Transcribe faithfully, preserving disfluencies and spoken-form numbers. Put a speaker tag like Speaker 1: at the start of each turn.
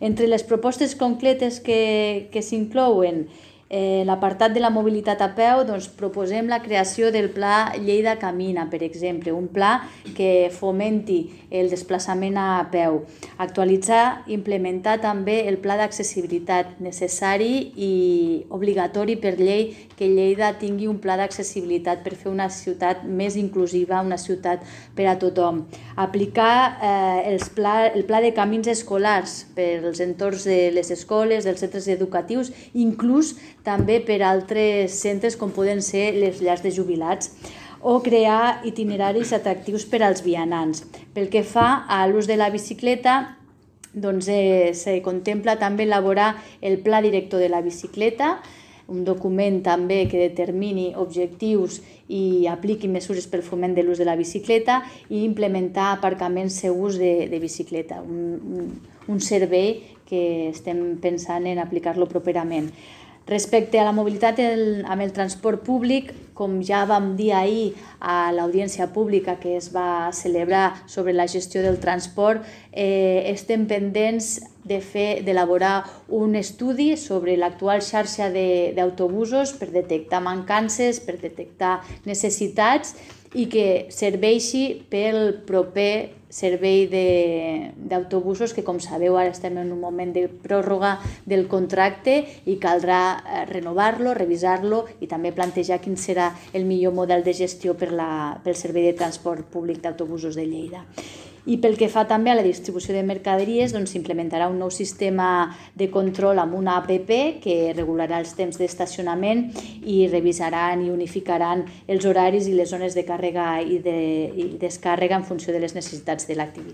Speaker 1: Entre les propostes concretes que, que s'inclouen, Eh, l'apartat de la mobilitat a peu, doncs, proposem la creació del Pla Lleida Camina, per exemple, un pla que fomenti el desplaçament a peu. Actualitzar i implementar també el pla d'accessibilitat necessari i obligatori per llei que Lleida tingui un pla d'accessibilitat per fer una ciutat més inclusiva, una ciutat per a tothom. Aplicar eh, els pla, el pla de camins escolars per als entorns de les escoles, dels centres educatius, inclús també per altres centres com poden ser les llars de jubilats, o crear itineraris atractius per als vianants. Pel que fa a l'ús de la bicicleta, doncs eh, se contempla també elaborar el Pla Director de la Bicicleta, un document també que determini objectius i apliqui mesures pel foment de l'ús de la bicicleta i implementar aparcaments segurs de, de bicicleta, un, un, un servei que estem pensant en aplicar-lo properament. Respecte a la mobilitat el, amb el transport públic, com ja vam dir ahir a l'audiència pública que es va celebrar sobre la gestió del transport, eh, estem pendents de fer d'elaborar un estudi sobre l'actual xarxa d'autobusos per detectar mancances, per detectar necessitats i que serveixi pel proper servei d'autobusos que, com sabeu, ara estem en un moment de pròrroga del contracte i caldrà renovar-lo, revisar-lo i també plantejar quin serà el millor model de gestió per la, pel servei de transport públic d'autobusos de Lleida. I pel que fa també a la distribució de mercaderies, doncs s'implementarà un nou sistema de control amb una app que regularà els temps d'estacionament i revisaran i unificaran els horaris i les zones de càrrega i de i descàrrega en funció de les necessitats de l'activitat.